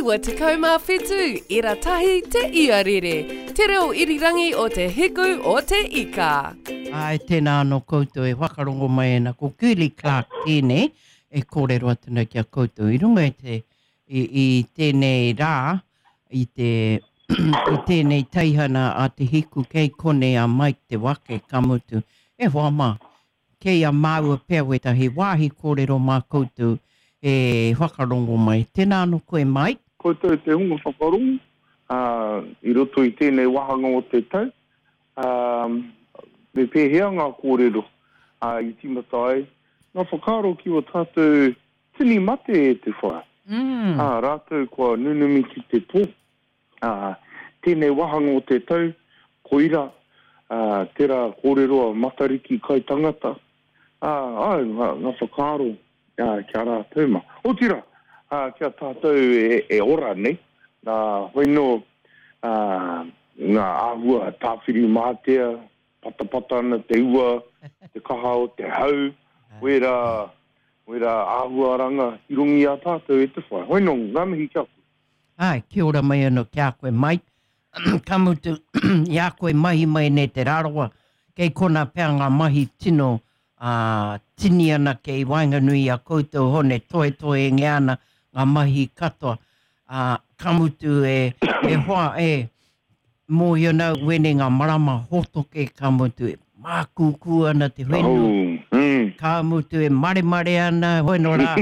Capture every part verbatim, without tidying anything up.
Iwa tekau mā whitu, ira tahi te iarere. Te reo irirangi o te hiku o te ika. Ai, tēnā anō koutou e whakarongo mai ana ko Girlie Clarke tēnei e kōrero atu nei ki a koutou i runga i te, i, i tēnei rā, i te, i tēnei teihana a Te Hiku kei konei a Mike Te Wake, ka mutu, e hoa mā, kei a māua pea wētahi wāhi kōrero mā koutou e whakarongo mai. Tēnā anō koe, Mike. Koutou te hunga whakarongo, ā, i roto i tēnei wāhanga o te tau, ā, me pēhea ngā kōrero, ā, i tīmata ai ngā whakaaro ki ō tātou tini mate e te whai. Mm. Ā, rātou kua nunumi ki te pō. Ā, tēnei wāhanga o te tau, koira, ā, tērā kōrero a Matariki kai tangata, ā, ai, ngā, ngā whakaaro, ā, ki a rātou mā. Otirā, ā, ki a tātou e, e ora nei, nā, hoi nō, ā, ngā āhua Tāwhirimātea, patapata ana te ua, te kaha o te hau, wērā, wērā āhuaranga i runga i a tātou e te whai. Hoi nō, ngā mihi ki a koe. Ai, kia ora mai anō ki a koe, Mike. Ka mutu, i a koe mahi mai nei Te Rarawa, kei kona pea ngā mahi tino, ā, tini ana kei waenganui i a koutou hone toetoengia ana ngā mahi katoa. Ā, ka mutu e, e hoa, e, mōhio nau wēnei ngā marama hōtoke, ka mutu e mākūkū ana te whenua. Oh, mm. Ka mutu e maremare ana, hoi nō rā,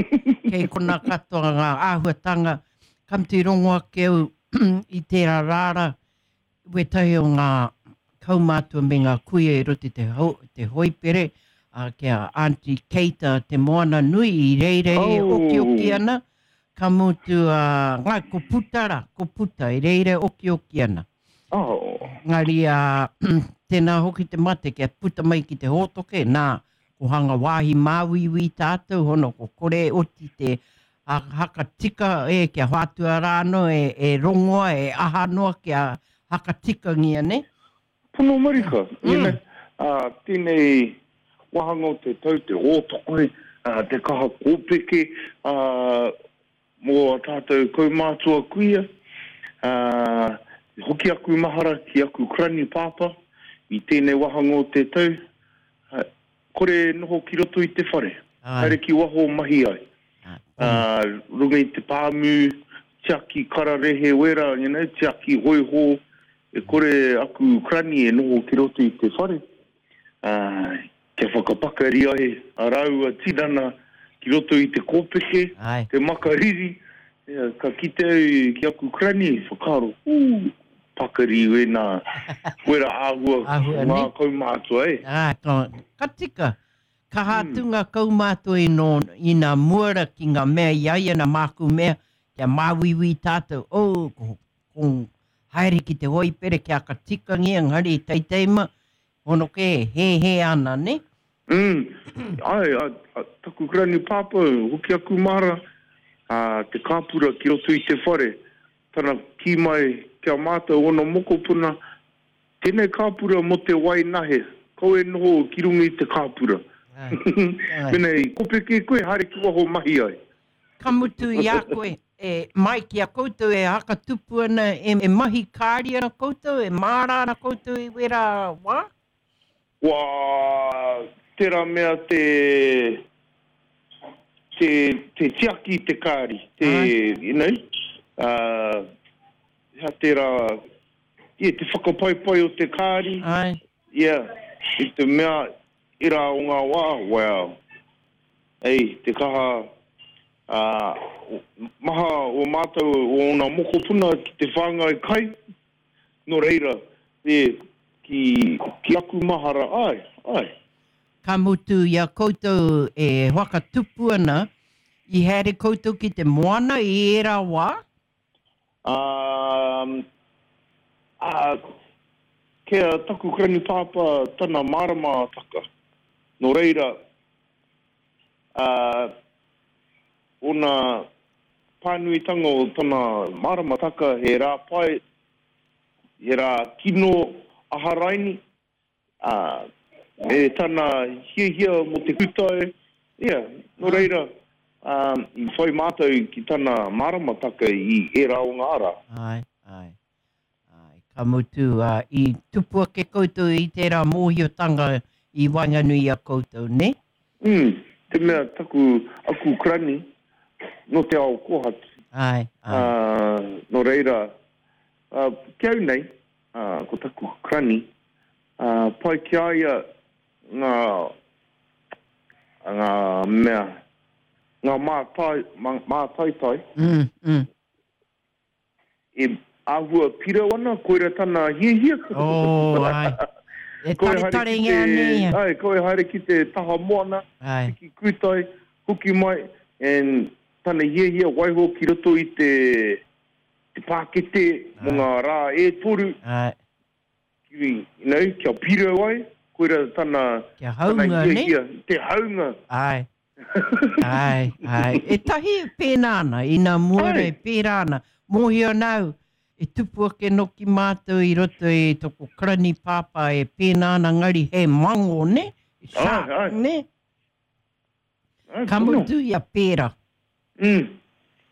kei kona katoa ngā āhuatanga. Ka mutu i rongo ake au i tērā rāra, wētahi o ngā kaumātua me ngā kuia i roto i te, ho, te hoipere, ā, ki a Auntie Keita Te Moana Nui i reira e Oh. okioki ana, ka mutu, ā, ngā, ko Puta rā, ko Puta, i reira e okioki ana. Oh. Engari, ā, tēnā hoki te mate kia puta mai ki te hōtoke, nā, ko hanga wāhi māuiui tātou, hono ko kore e oti te a, hakatika, e, kia whātua rā anō, e, e rongoa, e aha noa kia hakatikangia, ne? Pono marika, Mm. you know, ā, tēnei wāhanga o te tau, te hōtoke, ā, te kaha kōpeke, ā, mō a tātou kaumātua kuia, ā, hoki aku mahara ki aku krani pāpā i tēnei wāhanga o te tau, ā, kore noho ki roto i te whare, Ai. haere ki waho mahi ai. Ai. Ā, runga i te pāmu, tiaki kararehe wera, you know, tiaki hoiho, e kore aku krani e noho ki roto i te whare. Ā, kia whakapakari ai a rāua tinana ki roto i te kōpeke, Ai. te makariri, ia, ka kite au ki aku krani, whakaaro, ū, pakari wēnā, wera āhua, Āhua, ngā ne? kaumātua, e. Ā, ka, ka tika. Kaha atu ngā kaumātua i nō, i nā muara ki ngā mea i ai ana māku mea, kia māuiui tātou, oh, ko, ko haere ki te hoipere kia hakatikangia, engari i teiteima, hono ke, he he ana, ne? Mm. Ai, a, a, taku krani pāpā, hoki aku mahara, ā, te kāpura ki roto i te whare, tana kī mai ki a mātou ono mokopuna, tēnei kāpura mō te wai nahe, kau e noho ki runga i te kāpura. Ai. Ai. Mena i kopeke koe, haere ki waho mahi ai. Ka mutu i a koe, e, Mike, i a koutou e hakatupu ana, e, e mahi kāri ana koutou, e māra ana koutou i wera wā? Wā, tērā mea te, te, te tiaki te kāri, te, Ai. you know, uh, hea tērā, yeah, te whakapaipai o te kāri. Ai. Yeah, i te mea, i rā o ngā wā, wow. Ei, te kaha, ā, maha o mātou o ōna mokopuna ki te whāngai kai, nō reira, e, ki, ki aku mahara, ai, ai. Ka mutu i a koutou e whakatupu ana, i haere koutou ki te moana i ērā wā? Um, ā, kia taku krani pāpā tana mārama taka. Nō reira, ā, ōna pānuitanga o tana mārama taka he rā pai, he rā kino aharaini, ā, me tana hiahia mō te kūtai, ia, nō reira, um, i whai mātou ki tana māramataka i ērā o ngā ara. Ai, ai. Ai, ka mutu, uh, i tupu ake koutou i tērā mōhiotanga i waenganui i a koutou, ne? Mm, te mea taku, aku krani, no te ao kōhatu. Ai, ai. Uh, no reira, uh, ki au nei, uh, ko taku krani, uh, pai ki a ia ngā, ngā mea, ngā mātai, mā, mātaitai. Mm, mm. E āhua pirau ana, koira tana hiahia. Oh, ai. E tare tare ngā nei. Ai, koe haere ki te taha moana, ai. Ki kūtai, hoki mai, and tana hiahia waiho ki roto i te, te pākete mō ngā rā e toru. Ai. Ki, you know, kia pirau ai, koira tana, kia haunga, tana hiahia, ne? Te haunga. Ai. Ai, ai. E tahi pēnā ana, ina muare pērā ana. Mōhio nau, e tupu ake noki mātou i roto i toko krani pāpā e pēnā ana ngari he mango, ne? Shark, ai, ai. Ne? Ai, Ka mutu ia pērā. Mm.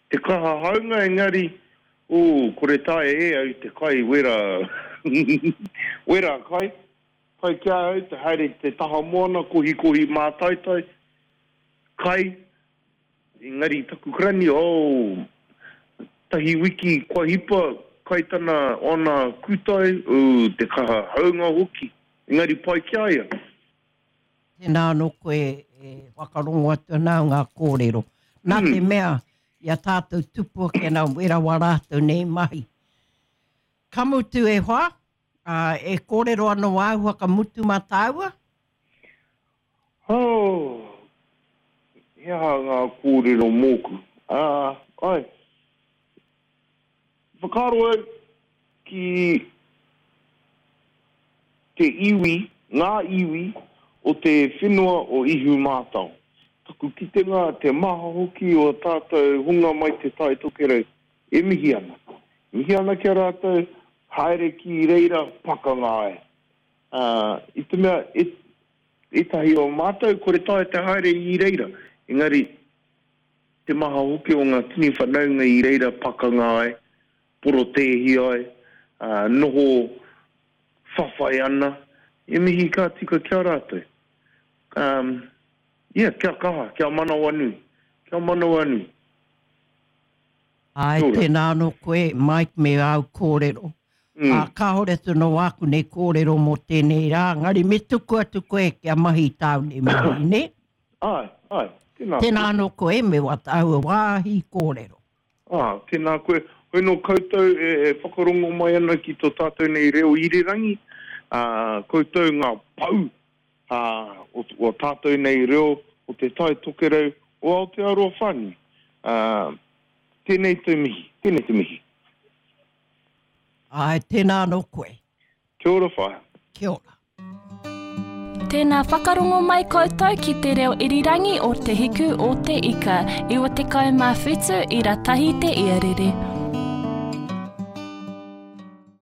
Te kaha haunga engari, oh, kore tae e au te kai wera, wera kai. Kai kia au te haere te taha moana, kohi kohi mātaitai. Kai, engari taku krani, oh, tahi wiki kua hipa, kai tana ona kūtai, oh, te kaha haunga hoki, engari pai ki a ia. Tēnā anō koe e whakarongo atu ana ngā kōrero. Nā Mm. te mea, i a tātou tupu ake nā wera wā rātou nei mahi. Ka mutu e hoa, uh, e kōrero anō āhua ka mutu mā tāua? Oh, he aha ngā kōrero mōku. Uh, ai, whakaaro au ki te iwi, ngā iwi o te whenua o Ihu Mātao. Taku kitenga te maha hoki o tātou hunga mai te Tai Tokerau e mihi ana. Mihi ana kia rātou, haere ki reira pakanga ai. Uh, i te mea, e, etahi o mātou, kore tae te haere i reira. Engari, te maha hoki o ngā tini whanaunga i reira pakanga ai, porotēhi ai, uh, noho whawhai ana, e mihi ka tika kia rātou. Um, yeah, kia kaha, kia manawanui, kia manawanui. Ai, Kia ora. tēnā anō koe, Mike, me au kōrero. Mm. Ā, kāore atu no āku nei kōrero mō tēnei rā, ngari me tuku atu koe kia mahi tāu nei mahi, ne? Ai, ai, tēnā. Tēnā anō koe, me wā tāua wāhi kōrero. Ah, tēnā koe. Hoi no koutou e, e whakarongo mai ana ki tō tātou nei reo irirangi, ah, koutou ngā pau ah, o, o tātou nei reo o te Tai Tokerau o Aotearoa whānui. Ah, tēnei te mihi, tēnei te mihi. Ai, tēnā anō koe. Kia ora whaea. Kia ora. Tēnā whakarongo mai koutou ki te reo irirangi o Te Hiku o Te Ika, iwa tekau mā whitu ira tahi te iarere.